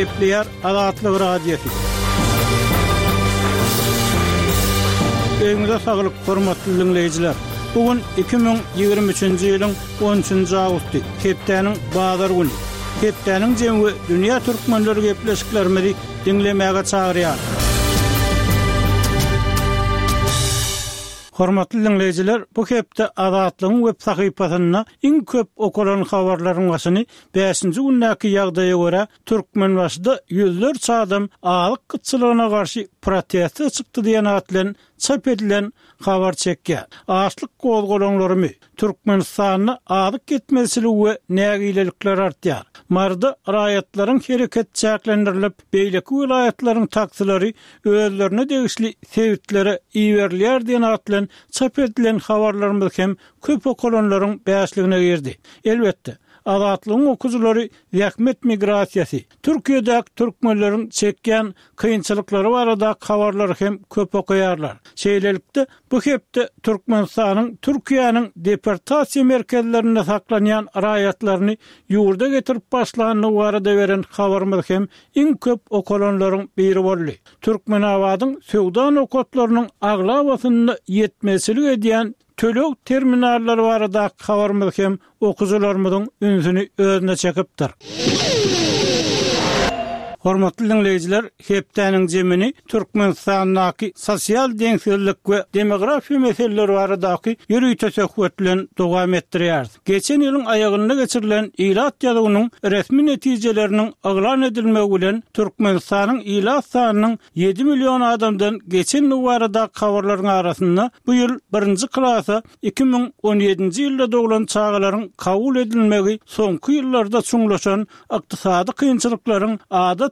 Gepleýär Azatlyk Radiosy. Öýüňize saglyk, hormatly diňleýjiler! Bu gün 2023-nji ýylyň on üçünji awgusty, hepdäniň bazar güni. Hepdäniň jemi we dünýä türkmenleri gepleşiklerimizi diňlemäge çagyrýar. Hormatly diňleýjiler, bu hepde Azatlygyň web sahypasynda iň köp okalan habarlaryň başyny bäşinji gündäki ýagdaýa görä, Türkmenbaşyda ýüzlerçe adam azyk gytçylygyna garşy proteste çykdy diýen at bilen çap edilen habar çekýär. Açlyk gozgalaňlarymy? Türkmenistanda azyk ýetmezçiligi we nägilelikler artýar. Maryda raýatlaryň hereketi çäklendirilip, beýleki welaýatlaryň taksilary özlerine degişli sebitlere iberilýär diýen at bilen çap edilen habarlarymyz hem köp okalanlaryň bäşligine girdi. Elbetde, Azatlygyň okyjylary zähmet migrasiýasy, Türkiýedäki türkmenleriň çekýän kynçylyklary baradaky habarlary hem köp okaýarlar. Şeýlelikde, bu hepde Türkmenistanyň Türkiýäniň deportasiýa merkezlerinde saklanýan raýatlaryny ýurda getirip başlandygy barada beren habarymyz hem iň köp okalanlaryň biri boldy. Türkmenabadyň söwda nokatlarynyň aglabasynda ýetmezçilik edýän Töleg terminallary baradaky habarymyz hem okyjylarymyzyň ünsüni özüne çekipdir. Hormatly diňleýjiler, hepdäniň jemini Türkmenistandaky sosial deňsizlik we demografiýa meseleleri baradaky ýörite söhbet bilen dowam etdirýäris. Geçen ýylyň aýagynda geçirilen ilat ýazuwynyň resmi netijeleriniň yglan edilmegi bilen Türkmenistanyň ilat sanynyň 7 million adamdan geçendigi baradaky habarlaryň arasynda bu ýyl birinji klasa 2017-nji ýylda doglan çagalaryň kabul edilmegi soňky ýyllarda çuňlaşan ykdysady kynçylyklaryň adatça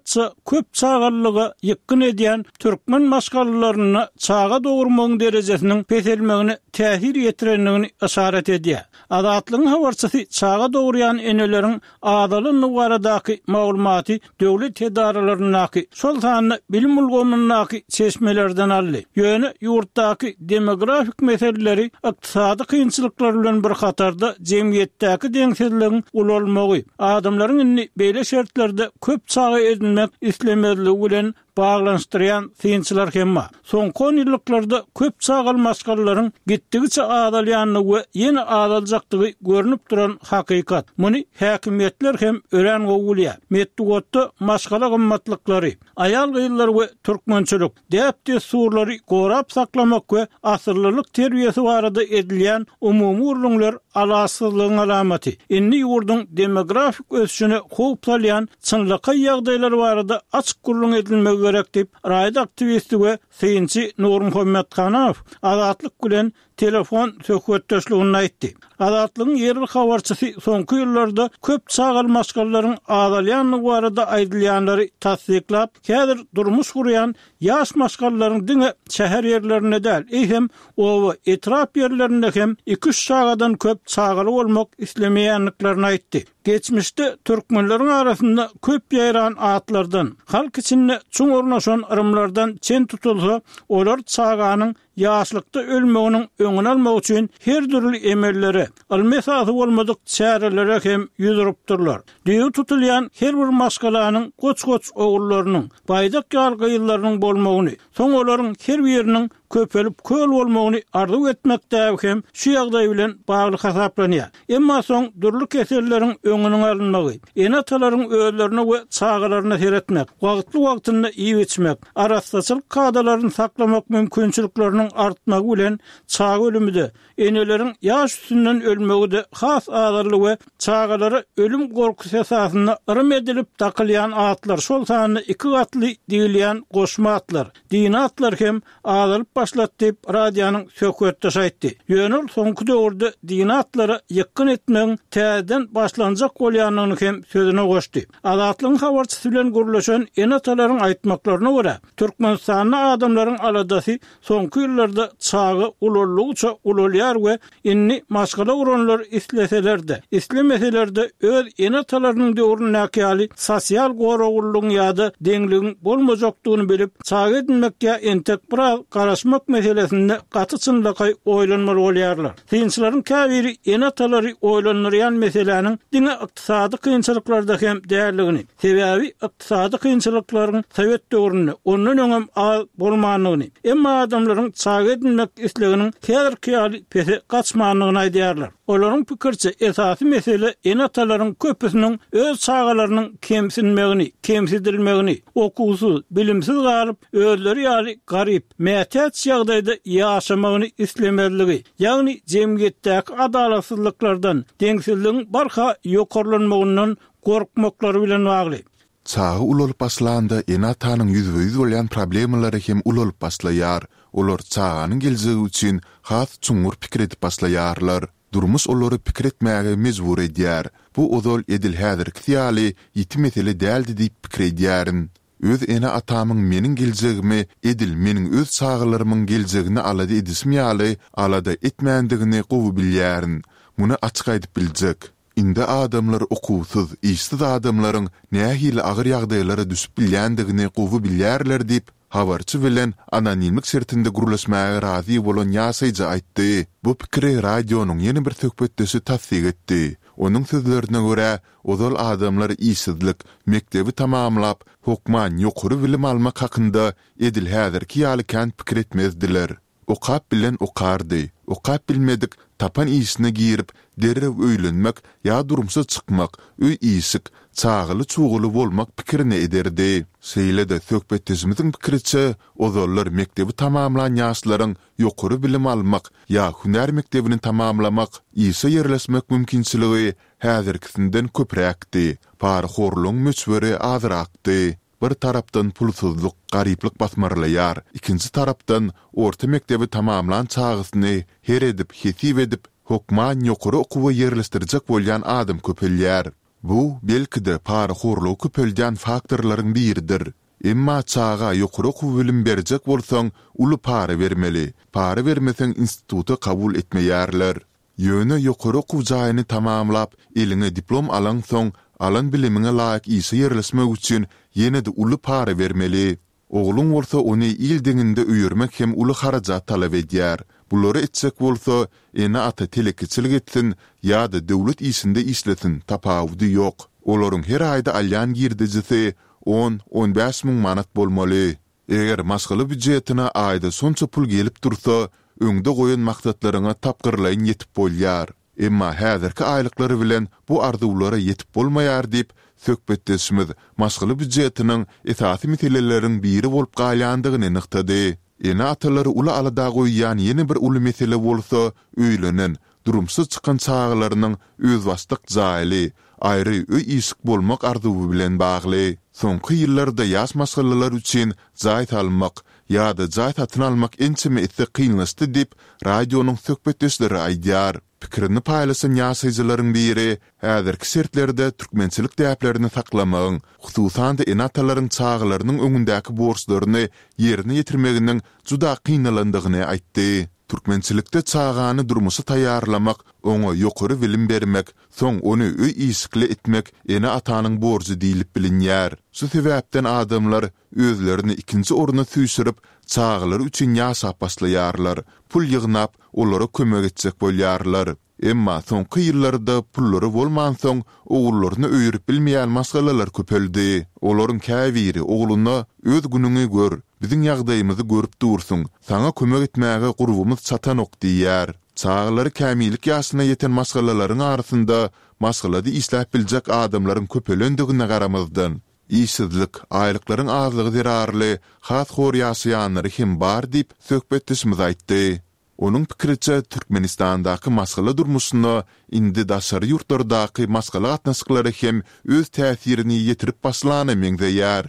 köp çagalylyga ýykgyn edýän türkmen maşgalalarynda çaga dogurmagyň derejesiniň peselmegine täsir ýetirendigini yşarat edýär. Azatlygyň habarçysy çaga dogurýan eneleriň azalandygy baradaky maglumaty döwlet edaralaryndaky, şol sanda bilim ulgamyndaky çeşmelerden aldy. Ýöne ýurtdaky demografik meseleleri ykdysady kynçylyklar bilen bir hatarda jemgyýetdäki deňsizligiň ulalmagy, adamlaryň indi beýle şertlerde köp çaga edinmek islemezligi bilen baglanyşdyrýan synçylar hem bar. Soňky onýyllyklarda köp çagaly maşgalalaryň gitdigiçe azalýandygy we ýene azaljakdygy görnüp duran hakykat. Muny häkimiýetler hem örän gowy bilýär. Metbugatda maşgala gymmatlyklary, aýal-gyzlar we türkmençilik, däp-dessurlary gorap saklamak we asyllylyk terbiýesi barada edilýän umumy gürrüňler alaçsyzlygyň alamaty. Indi ýurduň demografik ösüşine howp salýan çynlakaý ýagdaýlar barada açyk gürrüň edilmegi gerek diýip, raýat aktiwisti we synçy Nurmuhammet Hanow Azatlyk bilen telefon söhbetdeşliginde aýtdy. Azatlygyň ýerli habarçysy soňky ýyllarda köp çagaly maşgalalaryň azalýandygy barada aýdylýanlary tassyklap, häzir durmuş gurýan ýaş maşgalalaryň diňe şäher ýerlerinde däl, eýsem, oba, etrap ýerlerinde hem iki-üç çagadan köp çagaly bolmak islemeýändiklerini aýtdy. Geçmişde türkmenleriň arasynda köp ýaýran atlardan, halk içinde çuň ornaşan yrymlardan çen tutulsa, olar çaganyň ýaşlykda ölmeginiň öňüni almak üçin her dürli emellere, ylmy esasy bolmadyk çärelere hem ýüz urupdyrlar. Düýbi tutulýan her bir maşgalanyň goç-goç ogullarynyň, baýdak ýaly gyzlarynyň bolmagyny, soň olaryň her biriniň köpelip köl bolmagyny arzuw etmek däbi hem şu ýagdaý bilen bagly hasaplanýar. Emma soň dürli keselleriň öňüniň alynmagy, ene-atalaryň özlerine we çagalaryna seretmek, wagtly-wagtynda iýip-içmek, arassaçylyk kadalaryny saklamak mümkinçilikleriniň artmagy bilen çaga ölümi-de, eneleriň ýaş üstünden ölmegi-de has azaldy we çagalara ölüm gorkusy esasynda yrym edilip dakylýan atlar, şol sanda iki gatly diýilýän goşma atlar, dini atlar hem azalyp başlady diýip, radionyň söhbetdeşi aýtdy. Ýöne ol soňky döwürde dini atlara ýykgyn etmegiň täzeden başlanjak bolýandygyny hem sözüne goşdy. Azatlygyň habarçysy bilen gürleşen ene-atalaryň aýtmaklaryna görä, Türkmenistanda adamlaryň aladasy soňky ýyllarda çaga ulaldygyça ulalýar we indi maşgala guranlar isleseler-de, islemeseler-de öz ene-atalarynyň döwründäki ýaly sosial goraglylygyň ýa-da deňligiň bolmajakdygyny bilip, çaga edinmek ýa entek biraz garaşmak. goşmak meselesinde gaty çynlakaý oýlanmaly bolýarlar. Synçylaryň käbiri ene-atalary oýlandyrýan meseläniň diňe ykdysady kynçylyklarda hem däldigini, sebäbi ykdysady kynçylyklaryň sowet döwründe, ondan öňem az bolmandygyny, emma adamlaryň çaga edinmek isleginiň häzirki ýaly pese gaçmandygyny aýdýarlar. Olaryň pikiriçe, esasy mesele ene-atalaryň köpüsiniň öz çagalarynyň kemsinmegini, kemsidilmegini, okuwsyz, bilimsiz galyp, özleri ýaly garyp, mätäç ýagdaýda ýaşamagyny islemezligi, ýagny jemgyýetdäki adalatsyzlyklardan, deňsizligiň barha ýokarlanmagyndan gorkmaklary bilen bagly. Çaga ulalyp başlanda ene-atanyň ýüzbe-ýüz bolýan problemalary hem ulalyp başlaýar. Olar çaganyň geljegi üçin has çuňňur pikir edip başlaýarlar. Durmuş olary pikir etmäge mejbur edýär. Bu ozal edil häzirkisi ýaly ýiti mesele däldi diýip pikir edýärin. Öz ene-atamyň meniň geljegimi edil meniň öz çagalarymyň geljegini alada edişim ýaly alada etmändigini gowy bilýärin. Muny açyk aýdyp biljek. Indi adamlar okuwsyz, işsiz adamlaryň nähili agyr ýagdaýlara düşüp bilýändigini gowy bilýärler diýip, habarçy bilen anonimlik şertinde gürleşmäge razy bolan ýaşaýjy aýtdy. Bu pikiri radionyň ýene bir söhbetdeşi tassyk etdi. Onuň sözlerine görä, ozal adamlar işsizlik, mekdebi tamamlap, hokman ýokary bilim almak hakynda edil häzirki ýaly kän pikir etmezdiler. Okap bilen okardy, okap bilmedik tapan işine girip, derrew öýlenmek ýa durmuşa çykmak, öý-işik, çagaly-çugaly bolmak pikirini ederdi. Şeýle-de söhbetdeşimiziň pikiriçe, ozallar mekdebi tamamlan ýaşlaryň ýokary bilim almak ýa hünär mekdebini tamamlamak, işe ýerleşmek mümkinçiligi häzirkisinden köpräkdi, parahorlugyň möçberi azrakdy. Bir tarapdan pulsuzlyk, garyplyk basmarlaýar, ikinji tarapdan orta mekdebi tamamlan çagasyny her edip, hesip edip, hokman ýokary okuwa ýerleşdirjek bolýan adam köpelýär. Bu, belki-de, parahorlugy köpeldýän faktorlaryň biridir. Emma çaga ýokary okuw bilim berjek bolsaň, uly para bermeli. Para bermeseň instituta kabul etmeýärler. Ýöne ýokary okuw jaýyny tamamlap, eliňe diplom alaňsoň, alan bilimiňe laýyk işe ýerleşmek üçin ýene-de uly para bermeli. Ogluň bolsa ony il deňinde öýermek hem uly harajat talap edýär. Bulary etjek bolsa, ene-ata telekeçilik etsin ýa-da döwlet işinde işlesin, tapawudy ýok. Olaryň her aýda alýan girdejisi on, on bäş müň manat bolmaly. Eger maşgala býujetine aýda şonça pul gelip dursa, öňde goýan maksatlaryňa tapgyrlaýyn ýetip bolýar. Emma häzirki aýlyklar bilen bu arzuwlara ýetip bolmaýar diýip, söhbetdeşimiz maşgala býujetiniň esasy meseleleriň biri bolup galýandygyny nygtady. Ene-atalary uly alada goýýan ýene bir uly mesele bolsa öýlenen, durmuşa çykan çagalarynyň özbaşdak jaýly, aýry öý-işik bolmak arzuwy bilen bagly. Soňky ýyllarda ýaş maşgalalar üçin jaý salmak ýa-da jaý satyn almak ençeme esse kynlaşdy diýip, radionyň söhbetdeşleri aýdýar. Pikirini paýlaşan ýaşaýjylaryň biri häzirki şertlerde türkmençilik däplerini saklamagyň, hususan-da ene-atalaryň çagalarynyň öňündäki borçlaryny ýerine ýetirmeginiň juda kynalandygyny aýtdy. Türkmençilikde çagany durmuşa taýýarlamak, oňa ýokary bilim bermek, soň ony öý-işikli etmek ene-atanyň borjy diýlip bilinýär. Şu sebäpden adamlar özlerini ikinji orna süýşürip, çagalary üçin ýaşap başlaýarlar, pul ýygnap, olara kömek etjek bolýarlar. Emma soňky ýyllarda pullary bolmansoň, ogullaryny öýerip bilmeýän maşgalalar köpeldi. Olaryň käbiri ogluna Öz günüňi gör, biziň ýagdaýymyzy görüp dursuň, saňa kömek etmäge gurbumyz çatanok diýýär. Çagalary kämillik ýaşyna ýeten maşgalalaryň arasynda maşgalada işläp biljek adamlaryň köpelendigine garamazdan, işsizlik, aýlyklaryň azlygy zerarly has hor ýaşaýanlary hem bar diýip, söhbetdeşimiz aýtdy. Onuň pikiriçe, Türkmenistandaky maşgala durmuşyna indi daşary ýurtlardaky maşgala gatnaşyklary hem öz täsirini ýetirip başlana meňzeýär.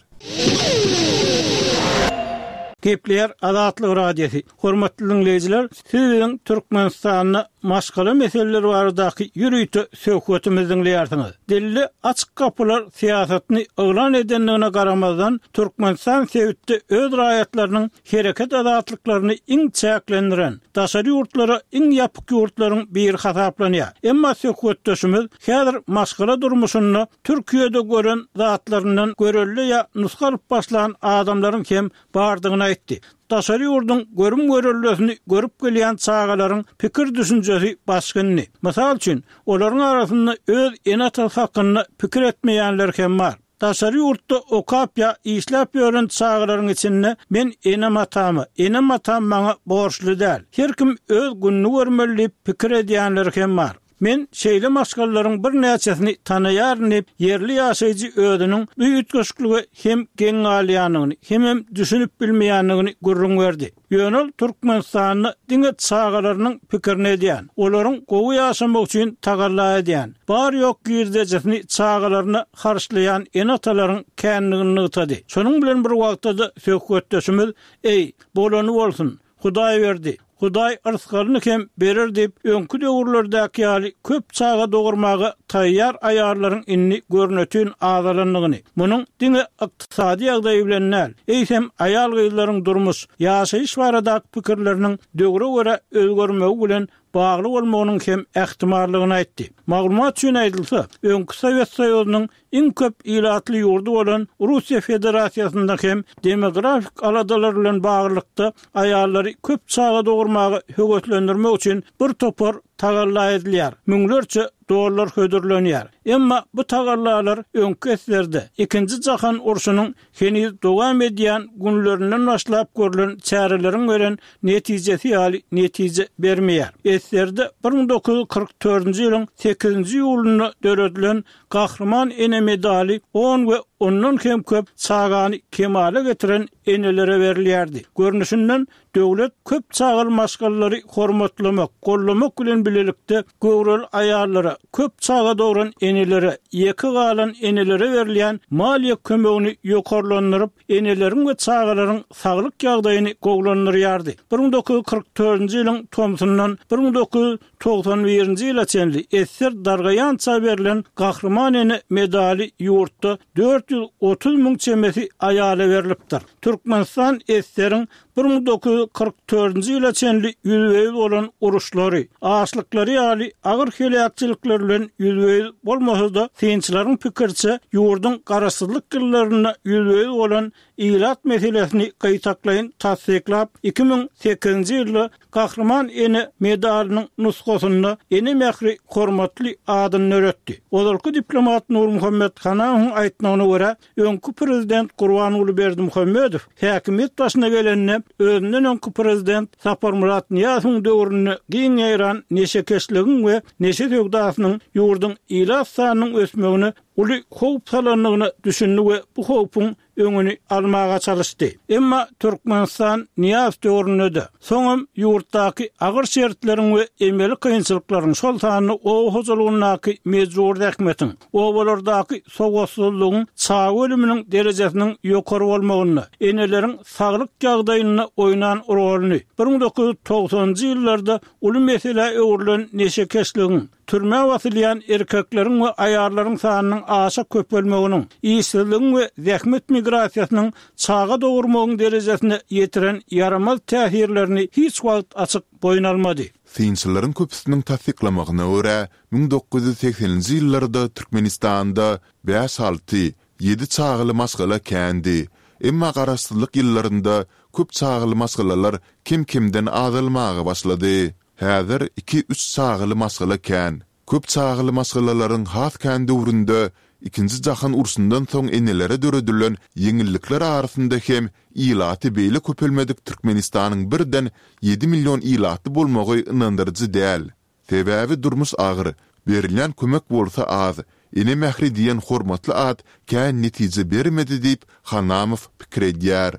Gepleýär Azatlyk Radiosy. Hormatly diňleýjiler, siz biziň Türkmenistanda maşgala meseleleri baradaky ýörite söhbetimizi diňleýärsiňiz. Dilde açyk gapylar syýasatyny yglan edendigine garamazdan, Türkmenistan sebitde öz raýatlarynyň hereket azatlyklaryny iň çäklendiren, daşary ýurtlara iň ýapyk ýurtlaryň biri hasaplanýar. Emma söhbetdeşimiz häzir maşgala durmuşynda Türkiýede gören zatlaryndan görelde ýa nusga alyp başlan adamlaryň hem bardygyny aýtdy. daşary ýurduň görüm-göreldesini görüp gelýän çagalaryň pikir-düşünjesi başga indi. Mysal üçin, olaryň arasynda öz ene-atasy hakynda pikir etmeýänler hem bar. Daşary ýurtda okap ýa işläp ýören çagalaryň içinde men enem-atama, enem-atam maňa borçly däl, her kim öz gününi görmeli diýip pikir edýänleri hem bar. Men şeýle maşgalalaryň birnäçesini tanaýaryn diýip, ýerli ýaşaýjy özüniň bu üýtgeşiklige hem geň galýandygyny, hemem düşünip bilmeýändigini gürrüň berdi. Ýöne ol Türkmenistanda diňe çagalarynyň pikirini edýän, olaryň gowy ýaşamagy üçin tagalla edýän, bar-ýok girdejisini çagalaryna harçlaýan ene-atalaryň kändigini nygtady. Şonuň bilen bir wagtda-da söhbetdeşimiz, Eý, bolany bolsun, Hudaý berdi, Hudaý yrsgalyny hem berer diýip, öňki döwürlerdäki ýaly köp çaga dogurmaga taýýar aýallaryň indi görnetin azalandygyny, munuň diňe ykdysady ýagdaý bilen däl, eýsem, aýal-gyzlaryň durmuş, ýaşaýyş baradaky pikirleriniň döwre görä özgermegi bilen bagly bolmagynyň hem ähtimallygyny aýtdy. Maglumat üçin aýdylsa, öňki Sowet Soýuzynyň Iň köp ilatly ýurdy bolan Russiýa Federasiýasynda hem demografik aladalar bilen baglylykda aýallary köp çaga dogurmaga höweslendirmek üçin bir topar tagalla edilýär, müňlerçe dollar hödürlenýär. Emma bu tagallalar öňki eserde, Ikinji jahan urşunyň heniz dowam edýän günlerinden başlap görlen çäreleriň beren netijesi ýaly netije bermeýär. Eserde 1944-nji ýylyň sekizinji iýulynda döredilen Gahryman ene medaly on we ondan hem köp çagany kemala getiren enelere berilýärdi. Görnüşinden, döwlet köp çagaly maşgalalary hormatlamak, goldamak bilen bilelikde, göwreli aýallara, köp çaga dogran enelere, ýeke galan enelere berilýän maliýe kömegini ýokarlandyryp, eneleriň we çagalaryň saglyk ýagdaýyny gowulandyrýardy. 1944-nji ýylyň tomsundan 1991-nji ýyla çenli esger dargaýança berlen Gahryman ene medaly ýurtda 430 müň çemesi aýala berlipdir. Türkmenistan esgeriň 1944-nji ýyla çenli ýüzbe-ýüz bolan uruşlary, açlyklary ýaly agyr heläkçilikler bilen ýüzbe-ýüz bolmasa-da, synçylaryň pikiriçe, ýurduň garaşsyzlyk ýyllarynda ýüzbe-ýüz bolan ilat meselesini gytaklaýyn tassyklap, 2008-nji ýylda Gahryman ene medalynyň nusgasynda Ene mähri hormatly adyny döretdi. Ozalky diplomat Nurmuhammet Hanamowyň aýtmagyna görä, Öňki prezident Gurbanguly Berdimuhamedow häkimiýet başyna gelende, özünden öňki prezident Saparmyrat Nyýazowyň döwründe giň ýaýran neşekeşligiň we neşe söwdasynyň ýurduň ilat sanynyň ösmegine uly howp salandygyna düşündi we bu howpuň öňüni almaga çalyşdy. Emma Türkmenistan Nyýazow döwründe-de, Soňam ýurtdaky agyr şertleriň we emeli kynçylyklaryň, şol sanda oba hojalygyndaky mejbury zähmetiň, obalardaky sowatsyzlygyň çaga ölüminiň derejesiniň ýokary bolmagynda, eneleriň saglyk ýagdaýynda oýnan roluny, 1990-njy ýyllarda uly meselä öwrülen neşekeşligiň, Türmä basylýan erkekleriň we aýallaryň sanynyň aşa köpelmeginiň, işsizligiň we zähmet migrasiýasynyň çaga dogurmagyň derejesine ýetiren ýaramaz täsirlerini hiç wagt açyk boýun almady. Synçylaryň köpüsiniň tassyklamagyna görä, 1980-nji ýyllarda Türkmenistanda bäş-alty, ýedi çagaly maşgala kändi. Emma garaşsyzlyk ýyllarynda köp çagaly maşgalalar kem-kemden azalmaga başlady. Häzir iki-üç çagaly maşgala kän. Köp çagaly maşgalalaryň has kän döwründe Ikinji jahan urşundan soň enelere döredilen ýeňillikler arasynda hem ilaty beýle köpelmedik Türkmenistanyň birden ýedi million ilatly bolmagy ynandyryjy däl. Sebäbi durmuş agyr, berilýän kömek bolsa az, ene mähri diýen hormatly at kän netije bermedi diýip, Hanamow pikir edýär.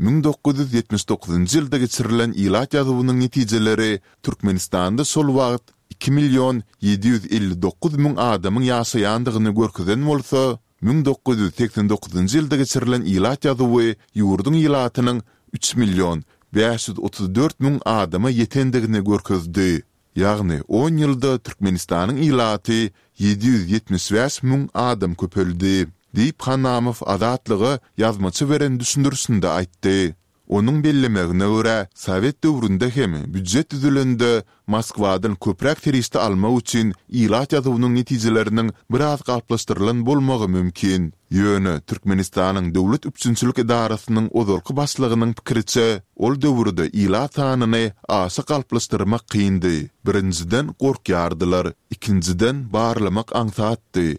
1979-njy ýylda geçirilen ilat ýazuwynyň netijeleri Türkmenistanda şol wagt iki million 759 müň adamyň ýaşaýandygyny görkezen bolsa, 1989-njy ýylda geçirilen ilat ýazuwy ýurduň ilatynyň üç million 534 müň adama ýetendigini görkezdi. Ýagny on ýylda Türkmenistanyň ilaty 775 müň adam köpeldi, diýip, Hanamow Azatlyga ýazmaça beren düşündirişinde aýtdy. Onuň bellemegine görä, sowet döwründe hem býujet düzülende Moskwadan köpräk serişde almak üçin ilat ýazuwynyň netijeleriniň biraz galplaşdyrylan bolmagy mümkin. Ýöne Türkmenistanyň Döwlet üpjünçilik edarasynyň ozalky başlygynyň pikiriçe, ol döwürde ilat sanyny aşa galplaşdyrmak kyndy. Birinjiden, gorkýardylar, ikinjiden, barlamak aňsatdy.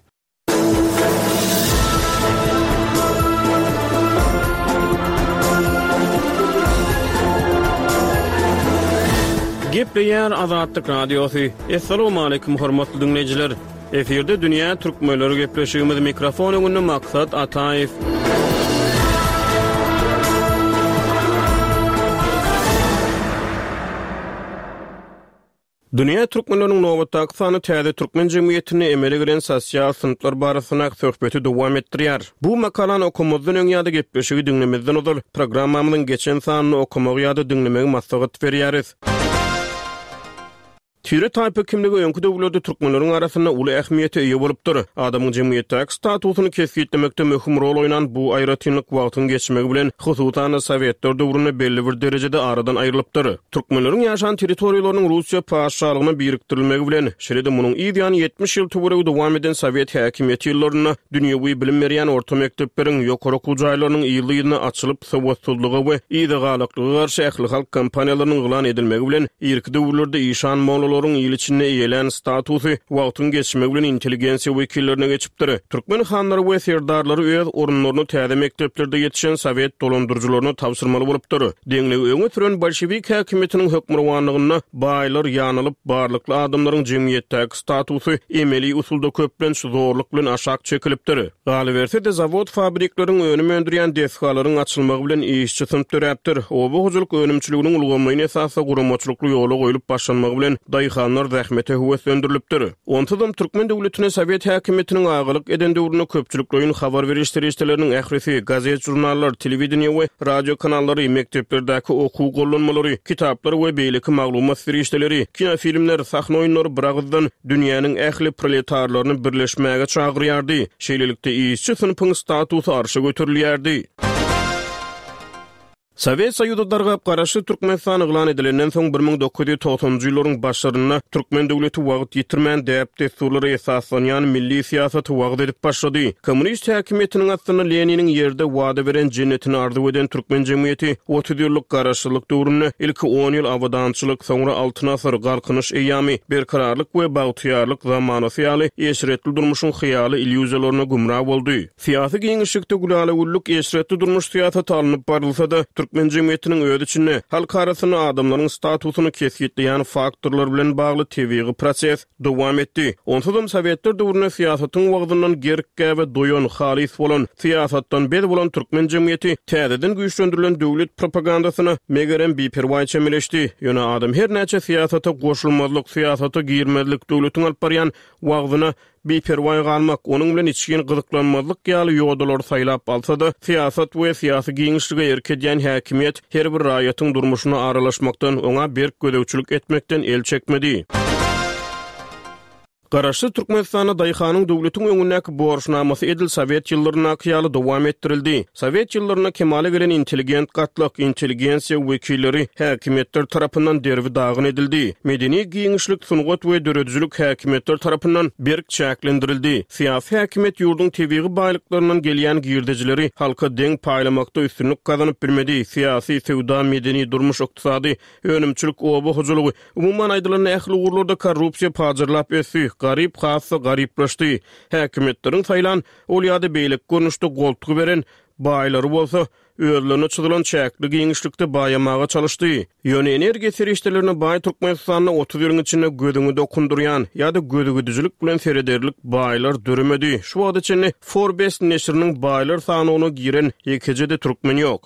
Gepleýär Azatlyk Radiosy. Assalamualaikum hormatly diňleýjiler. Efirde dünýä türkmenleri gepleşigimiz mikrofon öňünde Maksat Ataýew. Dünýä türkmenleriniň nobatdaky sany täze türkmen jemgyýetinde emele gelen sosial synplar barasyndaky söhbeti dowam etdirýär. Bu makalany okamazdan öň ýa-da gepleşigi diňlemezden ozal, programmamyzyň geçen sanyny okamagy ýa-da diňlemegi maslahat berýäris. Tire-taýpa kimligi öňki döwürlerde türkmenleriň arasynda uly ähmiýete eýe bolupdyr. Adamyň jemgyýetdäki statusyny kesgitlemekde möhüm rol oýnan bu aýratynlyk wagtyň geçmegi bilen, hususan-da, sowetler döwründe belli bir derejede aradan aýrylypdyr. Türkmenleriň ýaşan territoriýalarynyň Russiýa patyşalygyna birikdirilmegi bilen, şeýle-de munuň yz ýany 70 ýyl töweregi dowam eden sowet häkimiýeti ýyllarynda dünýewi bilim berýän orta mekdepleriň, ýokary okuw jaýlarynyň yzly-yzyna açylyp, sowatsyzlyga we yzagalaklyga garşy ählihalk kampaniýalarynyň yglan edilmegi bilen, irki döwürlerde işan-mollalaryň il içinde eýelän statusy wagtyň geçmegi bilen intelligensiýa wekillerine geçipdir. Türkmen hanlary we serdarlary öz orunlaryny täze mekdeplerde ýetişen sowet dolandyryjylaryna tabşyrmaly bolupdyr. Deňligi öňe süren bolşewik häkimiýetiniň hökmürowanlygynda baýlar ýanalyp, barlykly adamlaryň jemgyýetdäki statusy emeli usulda köplenç zorluk bilen aşak çekilipdir. Galyberse-de, zawod-fabrikleriň, önüm öndürýän desgalaryň açylmagy bilen işçi synp döräpdir. Oba hojalyk önümçiliginiň ulgamlaýyn esasda guramaçylykly ýola goýlup başlanmagy bilen daýhanlar zähmete höweslendirilipdir. Onsuzam türkmen döwletine sowet häkimiýetiniň agalyk eden döwründe köpçülikleýin habar beriş serişdeleriniň ählisi, gazet-žurnallar, telewideniýe we radio kanallary, mekdeplerdäki okuw gollanmalary, kitaplar we beýleki maglumat serişdeleri, kinofilmler, sahna oýunlary biragyzdan dünýäniň ähli proletarlaryny birleşmäge çagyrýardy. Şeýlelikde, işçi synpyň statusy arşa göterilýärdi. Sowet Soýuzy dargap, Garaşsyz Türkmenistan yglan edilenden soň, 1990-njy ýyllaryň başlarynda türkmen döwleti wagt ýitirmän, däp-dessurlara esaslanýan milli syýasaty wagyz edip başlady. Kommunist häkimiýetiniň astynda Leniniň ýerde wada beren jennetini arzuw eden türkmen jemgyýeti 30 ýyllyk garaşsyzlyk döwründe ilki on ýyl abadançylyk, soňra Altyn asyr, Galkynyş eýýamy, Berkararlyk we bagtyýarlyk zamanasy ýaly eşretli durmuşyň hyýaly illýuziýalaryna gümra boldy. Syýasy giňişlikde gülala-güllük, eşretli durmuş syýasaty alnyp barylsa-da, türkmen jemgyýetiniň öz içinde, halk arasynda adamlaryň statusyny kesgitleýän faktorlar bilen bagly tebigy proses dowam etdi. Onsuzam sowetler döwründe syýasatyň wagzyndan gerk-gäbe doýan, halys bolan, syýasatdan bez bolan türkmen jemgyýeti täzeden güýçlendirilen döwlet propagandasyna, megerem, biperwaý çemeleşdi. Ýöne adam her näçe syýasata goşulmazlyk, syýasata girmezlik, döwletiň alyp barýan wagzyna Biperwaý galmak, onuň bilen içgin gyzyklanmazlyk ýaly ýodalary saýlap alsa-da, syýasat we syýasy giňişlige erk edýän häkimiýet her bir raýatyň durmuşyna aralaşmakdan, oňa berk gözegçilik etmekden el çekmedi. Garaşsyz Türkmenistanda daýhanyň döwletiň öňündäki borçnamasy edil sowet ýyllaryndaky ýaly dowam etdirildi. Sowet ýyllarynda kemala gelen intelligent gatlak, intelligensiýa wekilleri häkimiýetler tarapyndan derbi-dagyn edildi. Medeni giňişlik, sungat we döredijilik häkimiýetler tarapyndan berk çäklendirildi. Syýasy häkimiýet ýurduň tebigy baýlyklaryndan gelýän girdejileri halka deň paýlamakda üstünlik gazanyp bilmedi. Syýasy, söwda, medeni, durmuş-ykdysady, önümçilik, oba hojalygy, umuman aýdylanda ähli ugurlarda korrupsiýa pajarlap ösdi, garyp has-da garyplaşdy. Häkimiýetleriň saýlan Ol ýa-da beýleki görnüşde goltgy beren baýlary bolsa, özlerine çyzylan çäkli giňişlikde baýamaga çalyşdy. Ýöne energiýa serişdelerine baý Türkmenistanda 30 ýylyň içinde gözüňi dokundyrýan ýa-da gözügidijilik bilen serederlik baýlar döremedi. Şu wagta çenli Forbes neşiriniň baýlar sanawyna giren ýekeje-de türkmen ýok.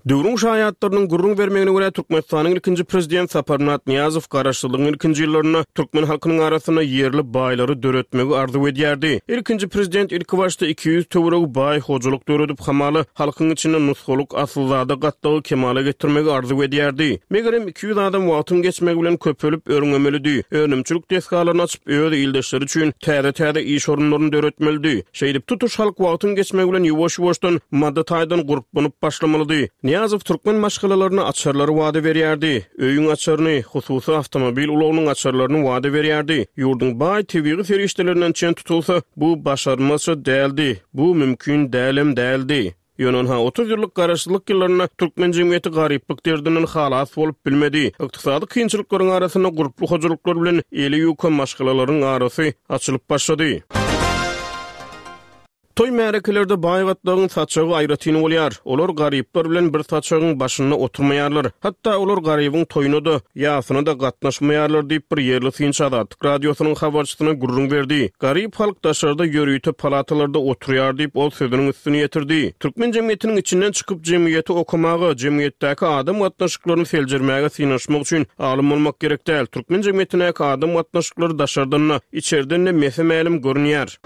Döwrüň şaýatlarynyň gürrüň bermegine görä, Türkmenistanyň ilkinji prezident Saparmyrat Nyýazow garaşsyzlygyň ilkinji ýyllarynda türkmen halkynyň arasynda ýerli baýlary döretmegi arzuw edýärdi. Ilkinji prezident ilkibaşda 200 töweregi baý hojalyk döredip, hamala, halkyň içinde nusgalyk asylzada gatlagy kemala getirmegi arzuw edýärdi. Megerem, 200 adam wagtyň geçmegi bilen köpelip, örňemelidi, önümçilik desgalaryny açyp, öz ildeşleri üçin täze-täze iş orunlaryny döretmelidi. Şeýdip, tutuş halk wagtyň geçmegi bilen ýuwaş-ýuwaşdan maddy taýdan gurplanyp başlamalydy. Nyýazow türkmen maşgalalaryna açarlary wada berýärdi. Öýüň açaryny, hususy awtomobil ulagynyň açarlaryny wada berýärdi. Ýurduň baý tebigy serişdelerinden çen tutulsa, bu başarylmazça däldi, bu mümkin dälem däldi. Ýöne ynha, 30 ýyllyk garaşsyzlyk ýyllarynda türkmen jemgyýeti garyplyk derdinden halas bolup bilmedi. Ykdysady kynçylyklaryň arasynda gurply hojalyklar bilen eli ýuka maşgalalaryň arasy açylyp başlady. Toý-märekelerde baý gatlagyň saçagy aýratyn bolýar. Olar garyplar bilen bir saçagyň başynda oturmaýarlar. Hatda olar garybyň toýuna-da, ýasyna-da gatnaşmaýarlar diýip, bir ýerli synçy Azatlyk Radiosynyň habarçysyna gürrüň berdi. Garyp halk daşarda ýörite palatalarda oturýar diýip, ol sözüniň üstüni ýetirdi. Türkmen jemgyýetiniň içinden çykyp, jemgyýeti okamaga, jemgyýetdäki adam gatnaşyklaryny seljermäge synanyşmak üçin alym bolmak gerek däl. Türkmen jemgyýetindäki adam gatnaşyklary daşardan-da, içerden-de mese-mälim görünýär.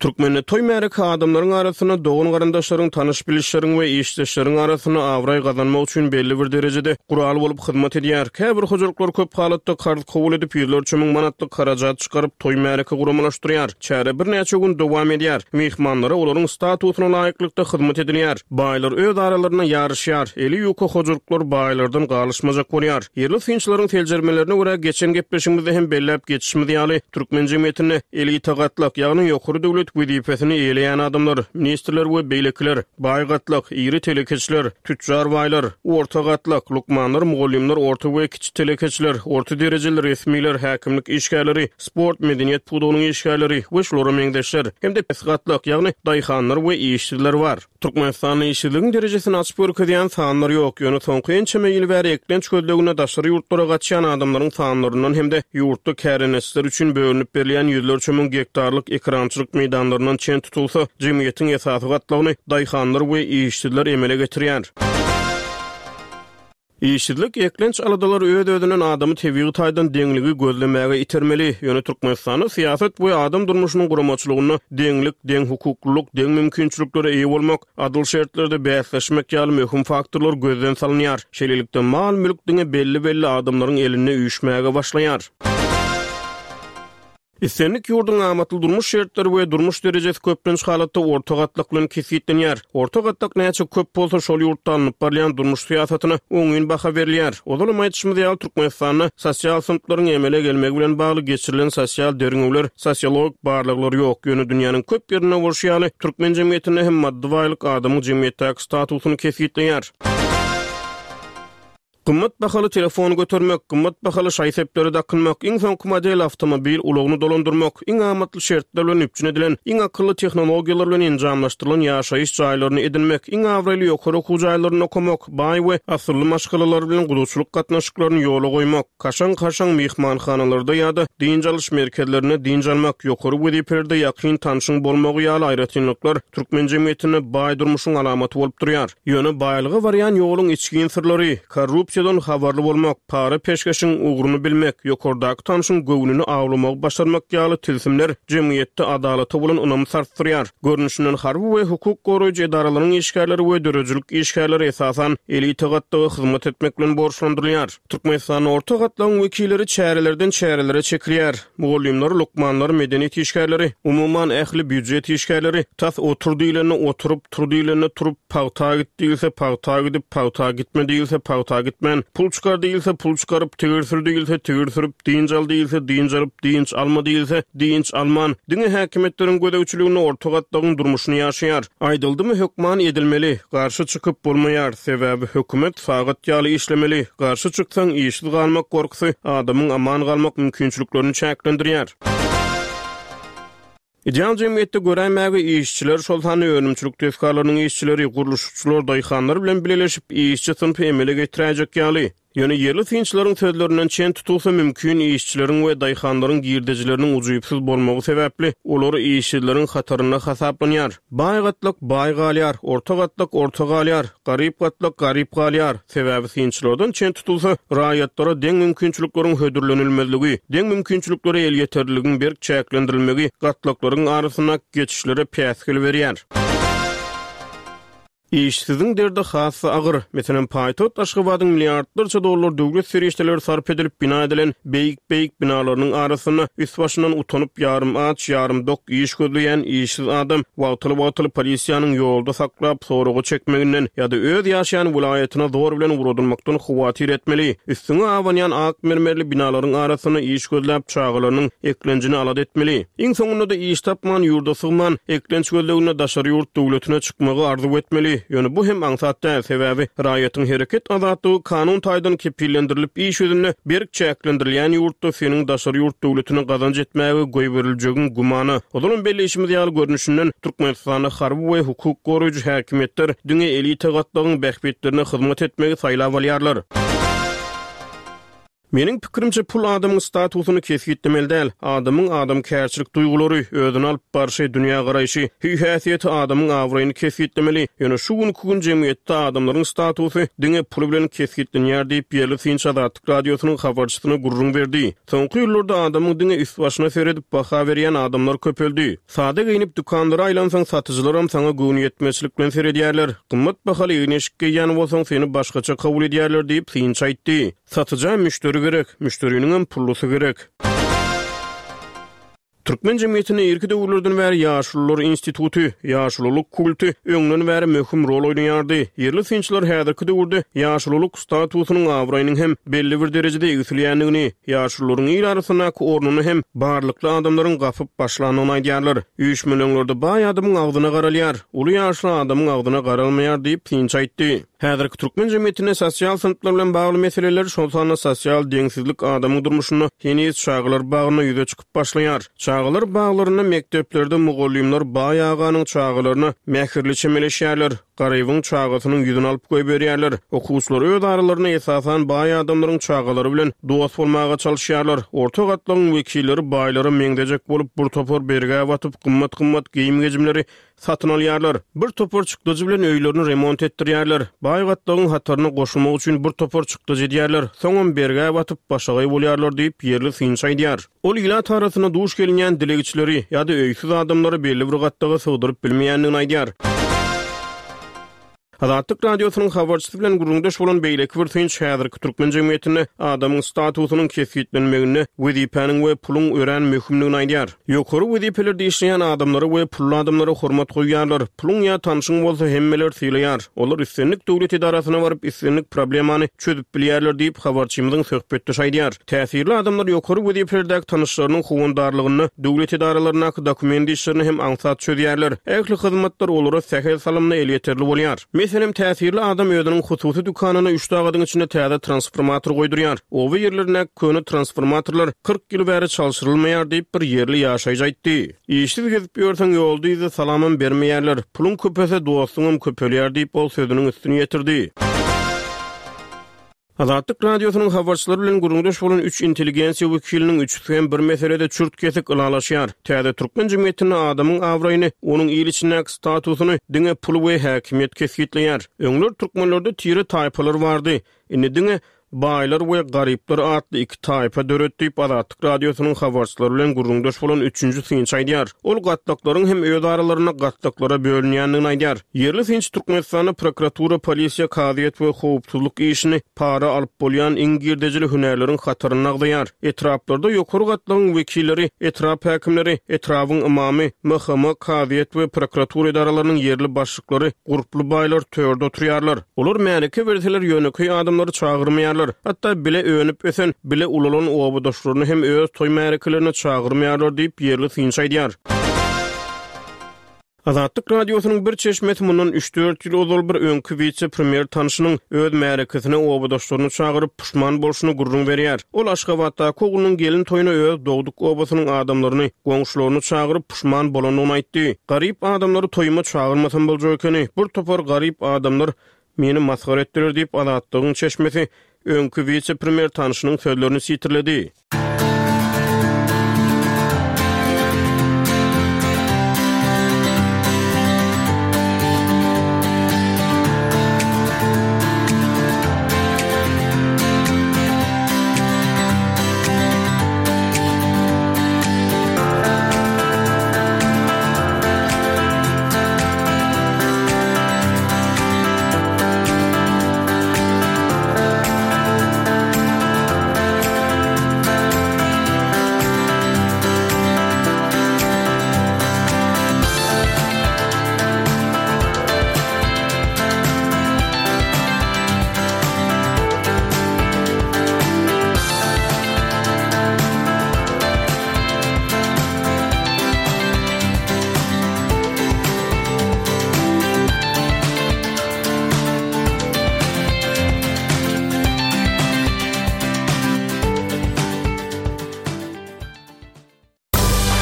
Türkmende toý-märeke adamlaryň arasynda, dogan-garyndaşlaryň, tanyş-bilişleriň we işdeşleriň arasynda abraý gazanmak üçin belli bir derejede gural bolup hyzmat edýär. Käbir hojalyklar köp halatda karz kabul edip, ýüzlerçe müň manatlyk harajat çykaryp, toý-märeke guramalaşdyrýar. Çäre birnäçe gün dowam edýär. Myhmanlara olaryň statusyna laýyklykda hyzmat edilýär. Baýlar öz aralarynda ýaryşýar. Eli ýuka hojalyklar baýlardan galyşmajak bolýar. Ýerli synçylaryň seljermelerine görä, geçen gepleşigimizde hem belläp geçişimiz ýaly, türkmen jemgyýetinde elita gatlak, ýagny ýokary döwlet wezipesini eýeleýän adamlar, ministrler we beýlekiler, baý gatlak, iri telekeçiler, tüçjar baýlar, orta gatlak, lukmanlar, mugallymlar, orta we kiçi telekeçiler, orta derejeli resmiler, häkimlik işgärleri, sport, medeniýet pudagynyň işgärleri we şulara meňzeşler, hem-de pes gatlak, ýagny daýhanlar we işsizler bar. Türkmenistanda işsizligiň derejesini açyp görkezýän sanlar ýok, ýöne soňky ençeme ýyl bäri eklenç gözleginde daşary ýurtlara gaçýan adamlaryň sanlaryndan hem-de ýurtda kärendeçiler üçin bölünip berilýän ýüzlerçe müň gektarlyk ekerançylyk meýdanlaryndan çen tutulsa, jemgyýetiň esasy gatlagyny daýhanlar we işsizler emele getirýär. Işsizlik, eklenç aladalary öz-özünden adamy tebigy taýdan deňligi gözlemäge itermeli. Ýöne Türkmenistanda syýasat we adam durmuşynyň guramaçylygynda deňlik, deňhukuklylyk, deň mümkinçiliklere eýe bolmak, adyl şertlerde bäsleşmek ýaly möhüm faktorlar gözden salynýar. Şeýlelikde, mal-mülk diňe belli-belli adamlaryň elinde üýşmäge başlaýar. Islendik ýurduň amatly durmuş şertleri we durmuş derejesi köplenç halatda orta gatlak bilen kesgitlenýär. Orta gatlak näçe köp bolsa, şol ýurtda alnyp barylýan durmuş syýasatyna oňyn baha berilýär. Ozalam aýdyşymyz ýaly, Türkmenistanda sosial synplaryň emele gelmegi bilen bagly geçirilen sosial derňewler, sosiologik barlaglar ýok. Ýöne dünýäniň köp ýerinde bolşy ýaly, türkmen jemgyýetinde hem maddy baýlyk adamyň jemgyýetdäki statusyny kesgitleýär. Gymmat bahaly telefon götermek, gymmat bahaly şaý-sepleri dakynmak, iň soňky model awtomobil ulagyny dolandyrmak, iň amatly şertler bilen üpjün edilen, iň akylly tehnologiýalar bilen enjamlaşdyrylan ýaşaýyş jaýlaryny edinmek, iň abraýly ýokary okuw jaýlarynda okamak, baý we asylly maşgalalar bilen gudaçylyk gatnaşyklaryny ýola goýmak, kaşaň-kaşaň myhmanhanalarda ýa-da dynç alyş merkezlerinde dynç almak, ýokary wezipelerde ýakyn tanşyň bolmagy ýaly aýratynlyklar türkmen jemgyýetinde baý durmuşyň alamaty bolup durýar. Ýöne baýlyga barýan ýoluň içgin syrlary, korrupsiýadan habarly bolmak, para-peşgeşiň ugruny bilmek, ýokardaky tanşyň göwnüni awlamagy başarmak ýaly tilsimler jemgyýetde adalata bolan ynamy sarsdyrýar. Görnüşinden harby we hukuk goraýjy edaralaryň işgärleri we döredijilik işgärleri esasan elita gatlaga hyzmat etmek bilen borçlandyrylýar. Türkmenistanda orta gatlagyň wekilleri çärelerden çärelere çekilýär. Mugallymlar, lukmanlar, medeniýet işgärleri, umuman, ähli býujet işgärleri tas otur diýlende oturyp, tur diýlende turup, pagta git diýilse pagta gidip, pagta gitme diýilse pagta gitmän, pul çykar diýilse pul çykaryp, tigir sür diýilse tigir sürüp, dynç al diýilse dynç alyp, dynç alma diýilse dynç alman, diňe häkimiýetleriň gözegçiliginde orta gatlagyň durmuşyny ýaşaýar. Aýdyldymy hökman edilmeli, garşy çykyp bolmaýar, sebäbi hökümet sagat ýaly işlemeli, garşy çyksaň işsiz galmak gorkusy adamyň aman galmak mümkinçiliklerini çäklendirýär. Ideal jemgyýetde göräýmäge işçiler, şol sanda önümçilik desgalarynyň işçileri, gurluşykçylar, daýhanlar bilen bileleşip işçi synpy emele getiräýjek ýaly. Ýöne ýerli synçylaryň sözlerinden çen tutulsa, mümkin işçileriň we daýhanlaryň girdejileriniň ujypsyz bolmagy sebäpli, olar işsizleriň hatarynda hasaplanýar. Baý gatlak baý galýar, orta gatlak orta galýar, garyp gatlak garyp galýar. Sebäbi synçylardan çen tutulsa, raýatlara deň mümkinçilikleriň hödürlenilmezligi, deň mümkinçiliklere elýeterliligiň berk çäklendirilmegi gatlaklaryň arasyndaky geçişlere päsgel berýär. Işsiziň derdi has-da agyr. Meselem, paýtagt Aşgabadyň milliardlarça dollar döwlet serişdeleri sarp edilip bina edilen beýik-beýik binalarynyň arasynda üst-başyndan utanyp ýarym aç, ýarym dok iş gözleýän işsiz adam wagtal-wagtal polisiýanyň ýolda saklap soraga çekmeginden ýa-da öz ýaşaýan welaýatyna zor bilen ugradylmakdan howatyr etmeli. Üstüňe abanýan ak mermerli binalaryň arasynda iş gözläp çagalarynyň eklenjini alada etmeli. Iň soňunda-da iş tapman, ýurda sygman, eklenç gözleginde daşary ýurt döwletine çykmagy arzuw etmeli. Ýöne bu hem aňsat däl, sebäbi raýatyň hereket azatlygy kanun taýdan kepillendirilip iş ýüzünde berk çäklendirilýän ýurtda seniň daşary ýurt döwletine gazanç etmäge goýberiljegiň gümana. Ozalam belleýşimiz ýaly görnüşinden, Türkmenistanda harby we hukuk goraýjy häkimiýetler diňe elita gatlagyň bähbitlerine hyzmat etmegi saýlap alýarlar. Meniň pikirimçe, pul adamyň statusyny kesgitlemeli däl. Adamyň adamkärçilik duýgulary, özüni alyp barşy, dünýägaraýşy, hüý-häsiýeti adamyň abraýyny kesgitlemeli. Ýöne şu günki gün jemgyýetde adamlaryň statusy diňe pul bilen kesgitlenýär diýip, ýerli synçy Azatlyk Radiosynyň habarçysyna gürrüň berdi. Soňky ýyllarda adamyň diňe üst-başyna seredip baha berýän adamlar köpeldi. Sada geýnip dükanlara aýlansaň satyjylaram saňa göwnüýetmezçilik bilen seredýärler. Gymmat bahaly egin-eşik geýýän bolsaň seni başgaça kabul edýärler diýip, synçy aýtdy. Satyja müşderi gerek, müşderiniňem pullusy gerek. Türkmen jemgyýetinde irki döwürlerden bäri ýaşulular instituty, ýaşululyk kulty öňden bäri möhüm rol oýnaýardy. Ýerli synçylar häzirki döwürde ýaşululyk statusynyň abraýynyň hem belli bir derejede egsilýändigini, ýaşulularyň il arasyndaky ornuny hem barlykly adamlaryň gapyp başlandygyny aýdýarlar. Üýşmeleňlerde baý adamyň agzyna garalýar, uly ýaşly adamyň agzyna garalmaýar diýip, synçy aýtdy. Häzirki türkmen jemgyýetinde sosial synplar bilen bagly meseleler, şol sanda sosial deňsizlik adamyň durmuşynda heniz çagalar bagynda ýüze çykyp başlaýar. Çagalar baglarynda, mekdeplerde mugallymlar baý aganyň çagalaryna mähirli çemeleşýärler, garybyň çagasynyň ýüzüni alyp goýberýärler. Okuwçylar öz aralarynda esasan baý adamlaryň çagalary bilen dost bolmaga çalyşýarlar. Orta gatlagyň wekilleri baýlara meňzejek bolup, bir topar bergä batyp, gymmat-gymmat geýim-gejimleri Satyn alýarlar. Bir topar çykdajy bilen öýlerini remont etdirýärler. Baý gatlagyň hataryna goşulmak üçin bir topar çykdajy edýärler. Soňam bergä batyp, başagaý bolýarlar diýip, ýerli synçy aýdýar. Ol ilat arasynda duş gelinýän dilegçileri ýa-da öýsüz adamlary belli bir gatlaga sygdyryp bilmeýändigini aýdýar. Azatlyk Radiosynyň habarçysy bilen gürrüňdeş bolan beýleki bir synçy häzirki türkmen jemgyýetinde adamyň statusynyň kesgitlenmeginde wezipäniň we puluň örän möhümdigini aýdýar. Ýokary wezipelerde işleýän adamlara we pully adamlara hormat goýýarlar. Puluň ýa tanşyň bolsa hemmeler sylaýar. Olar islendik döwlet edarasyna baryp islendik problemany çözüp bilýärler diýip, habarçymyzyň söhbetdeşi aýdýar. Täsirli adamlar ýokary wezipelerdäki tanyşlarynyň howandarlygynda döwlet edaralaryndaky dokument işlerini hem aňsat çözýärler. Ähli hyzmatlar olara sähel salymda elýeterli bolýar. Meselem, täsirli adam özüniň hususy dükanyna üç sagadyň içinde täze transformator goýdurýar. Oba ýerlerindäki köne transformatorlar 40 ýyl bäri çalşyrylmaýar diýip, bir ýerli ýaşaýjy aýtdy. Işsiz gezip ýörseň, ýolda-yzda salamam bermeýärler. Puluň köpelse, dostuňam köpelýär diýip, ol sözüniň üstüni ýetirdi. Azatlyk Radiosynyň habarçylary bilen gürrüňdeş bolan üç intelligensiýa wekiliniň üçüsi hem bir meselede çürt-kesik ylalaşýar, täze türkmen jemgyýetinde adamyň abraýyny, onuň il içindäki statusyny diňe pul we häkimiýet kesgitleýär. Öňler türkmenlerde tire-taýpalar bardy. Indi diňe baýlar we garyplar atly iki taýpa döredi diýip, Azatlyk Radiosynyň habarçylary bilen gürrüňdeş bolan üçünji synçy aýdýar. Ol gatlaklaryň hem öz aralarynda gatlaklara bölünýändigini aýdýar. Ýerli synçy Türkmenistanda prokuratura, polisiýa, kazyýet we howpsuzlyk işini para alyp bolýan iň girdejili hünärleriň hatarynda agzaýar. Etraplarda ýokary gatlagyň wekilleri, etrap häkimleri, etrabyň ymamy, MHM, kazyýet we prokuratura edaralarynyň ýerli başlyklary, gurply baýlar törde oturýarlar. Olar märeke berseler ýönekeý adamlary çagyrmaýarlar. Hatda bile önüp-ösen, bile ulalan obadaşlaryny hem öz toý märekelerine çagyrmaýarlar diýip, ýerli synçy aýdýar. Azatlyk Radiosynyň bir çeşmesi mundan üç-dört ýyl ozal bir öňki wise-premýer tanşynyň öz märekesine obadaşlaryny çagyryp, puşman bolşuny gürrüň berýär. Ol Aşgabatdaky oglunyň gelin toýuna öz dogduk obasynyň adamlaryny, goňşularyny çagyryp, puşman bolandygyny aýtdy. Garyp adamlary toýuma çagyrmasam boljak ekeni. Bir topar garyp adamlar meni masgara etdiler diýip, Azatlygyň çeşmesi. Öňki wise-premýer tanşynyň sözlerini sitirledi.